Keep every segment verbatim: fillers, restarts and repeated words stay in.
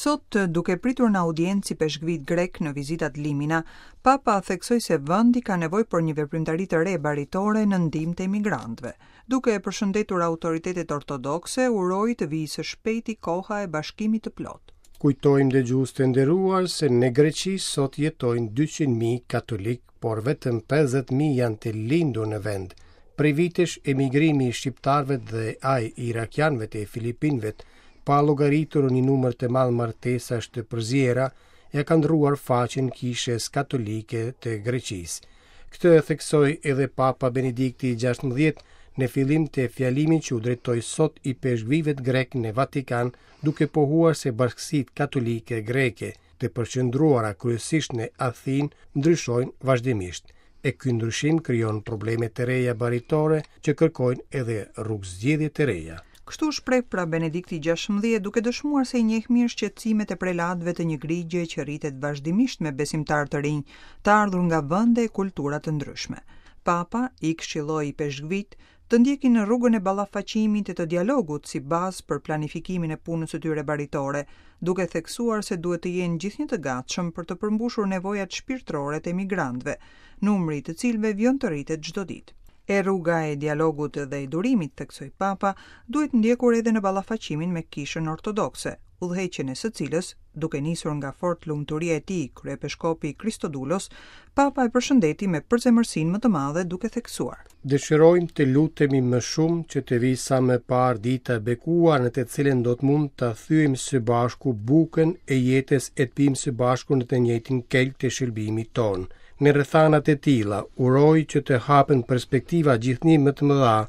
Sot, duke pritur në audiencë ipeshkvijtë grekë në vizitë ad limina, Papa theksoi se vendi ka nevojë për një veprimtari të re baritore në ndihmë të emigrantëve. Duke e përshëndetur autoritetet ortodokse, uroi të vijë së shpejti koha e bashkimit të plotë. Kujtojmë, dëgjues të nderuar, se në Greqi sot jetojnë dyqind mijë katolik, por vetëm pesëdhjetë mijë janë të lindur në vend. Prej vitesh emigrimi i shqiptarëve dhe ai i irakianëve e filipinëve, pa llogaritur një numër të madh martesash të përziera, ja kanë ndruar faqen kishës katolike të Greqisë. Këtë e theksoi edhe Papa Benedikti i gjashtëmbëdhjetë në fillim të fjalimit që u drejtoi sot ipeshkvijve grek në Vatikan, duke pohuar se bashkësitë katolike greke, të përqendruara kryesisht në Athinë, ndryshojnë vazhdimisht. E ky ndryshim krijon probleme të reja baritore që kërkojnë edhe rrugëzgjidhje të reja. Kështu shpreh pra Benedikti gjashtëmbëdhjetë, duke dëshmuar se i njeh mirë shqetësimet e prelatëve të një grigje që rritet vazhdimisht me besimtarë të rinj, të ardhur nga vende e kultura të ndryshme. Papa i këshilloi ipeshkvijtë të ndjekin rrugën e ballafaqimit e të dialogut si bazë për planifikimin e punës së tyre baritore, duke theksuar se duhet të jenë gjithnjë të gatshëm për të përmbushur nevojat shpirtërore të emigrantëve, numri i të cilëve vjen të rritet çdo ditë. E rruga e dialogut dhe e durimit, theksoi Papa, duhet ndjekur edhe në ballafaqimin me kishën ortodokse, udhëheqjen e së cilës, duke nisur nga fort lumturia e tij, kryepeshkopi Kristodulos, Papa e përshëndeti me përzemërsinë më të madhe, duke theksuar: Dëshirojmë të lutemi më shumë që të vijë sa më parë dita e bekuar në të cilën do të mund ta thyejmë së bashku bukën e jetës e të pimë së bashku në të njëjtin kelk të shërbimit tonë. Në rrethanat e tilla, uroj që të hapen perspektiva gjithnjë më të mëdha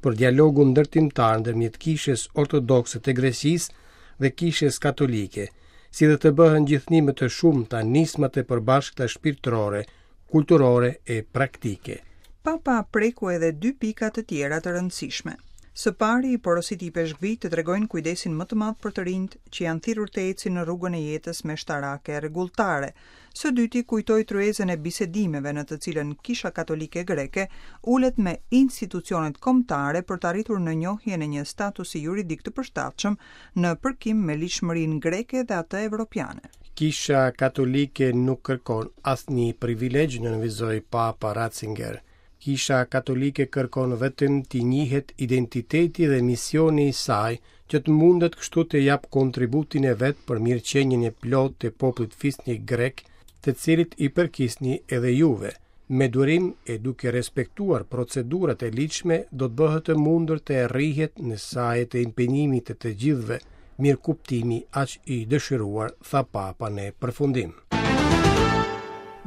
për dialogun ndërtimtar ndërmjet kishës ortodokse të Greqisë dhe kishës katolike, si dhe të bëhen gjithnjë më të shumta nismat e përbashkëta shpirtërore, kulturore e praktike. Papa preku edhe dy pika të tjera të rëndësishme. Së pari, i porositi ipeshkvijtë të tregojnë kujdesin më të madh për të rinjt që janë thirrur të ecin në rrugën e jetës me shtarake e rregulltare. Së dyti, kujtoi tryezën e bisedimeve në të cilën Kisha Katolike Greke ulet me institucionet kombëtare për të arritur në njohjen e një statusi juridik të përshtatshëm në përkim me ligjshmërinë greke dhe atë evropiane. Kisha Katolike nuk kërkon asnjë privilegj, nënvizoi Papa Ratzinger. Kisha Katolike kërkon vetëm t'i njihet identiteti dhe misioni i saj, që të mundet kështu të jap kontributin e vet për mirëqenien e plotë të popullit fisnik grek, të cilit i përkisni edhe juve. Me durim e duke respektuar procedurat e ligjshme, do të bëhet e mundur të arrihet në saje të impenjimit të të gjithëve, mirëkuptimi aq i dëshiruar, tha Papa në përfundim.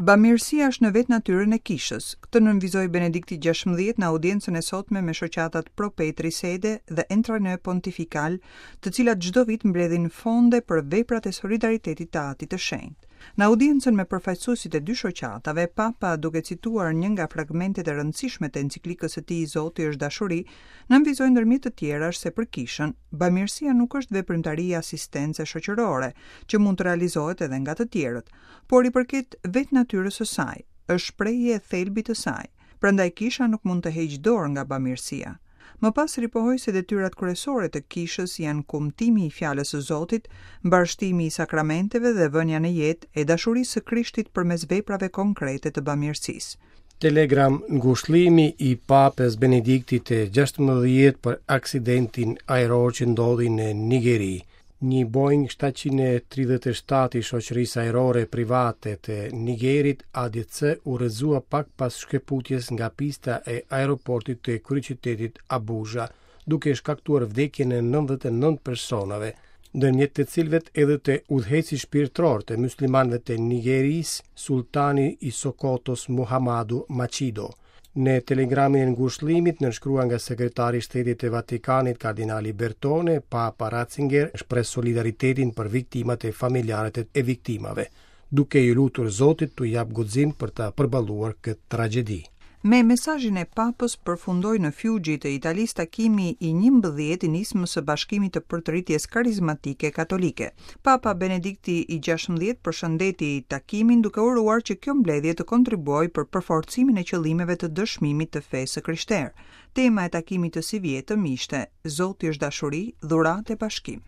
Bamirësia është në vetë natyrën e kishës. Këtë nënvizoi Benedikti gjashtëmbëdhjetë në audiencën e sotme me shoqatat Pro Petri Sede dhe Entraîne Pontifical, të cilat çdo vit mbledhin fonde për veprat e solidaritetit të Atit të Shenjtë. Në audiencën me përfaqësuesit e dy shoqatave, Papa, duke cituar një nga fragmentet e rëndësishme të enciklikës së tij Zoti është dashuri, nënvizoi ndërmjet të tjerash se për kishën, bamirësia nuk është veprimtari asistence shoqërore, që mund të realizohet edhe nga të tjerët, por i përket vetë natyrës së saj, është shprehje e thelbit të saj. Prandaj kisha nuk mund të heqë dorë nga bamirësia. Më pas ripohoi se detyrat kryesore të kishës janë kumtimi i fjalës së Zotit, mbarështimi i sakramenteve dhe vënia në jetë e dashurisë së Krishtit përmes veprave konkrete të bamirësisë. Telegram ngushëllimi i Papës Benediktit të gjashtëmbëdhjetë për aksidentin ajror që ndodhi në Nigeri. Një Boeing shtatëqind e tridhjetë e shtatë i shoqërisë ajrore private të Nigerit A D C u rrëzua pak pas shkëputjes nga pista e aeroportit të kryeqytetit Abuja, duke shkaktuar vdekjen e nëntëdhjetë e nëntë personave, ndërmjet të cilëve edhe të udhëheqësit shpirtëror të muslimanëve të Nigerisë, Sultani i Sokotos Muhammadu Machido. Në telegramin e ngushëllimit nënshkruar nga sekretari i Shtetit të Vatikanit, kardinali Bertone, Papa Ratzinger shpreh solidaritetin për viktimat e familjarët e viktimave, duke i lutur Zotit t'u jap guxim për ta përballuar këtë tragjedi. Me mesazhin e Papës përfundoi në Fiuggi të Italisë takimi i njëmbëdhjetë i nismës së Bashkimit të Përtëritjes Karizmatike Katolike. Papa Benedikti i gjashtëmbëdhjetë përshëndeti takimin duke uruar që kjo mbledhje të kontribuojë për përforcimin e qëllimeve të dëshmimit të fesë së krishterë. Tema e takimit të sivjetëm ishte Zoti është dashuri, dhuratë e bashkim.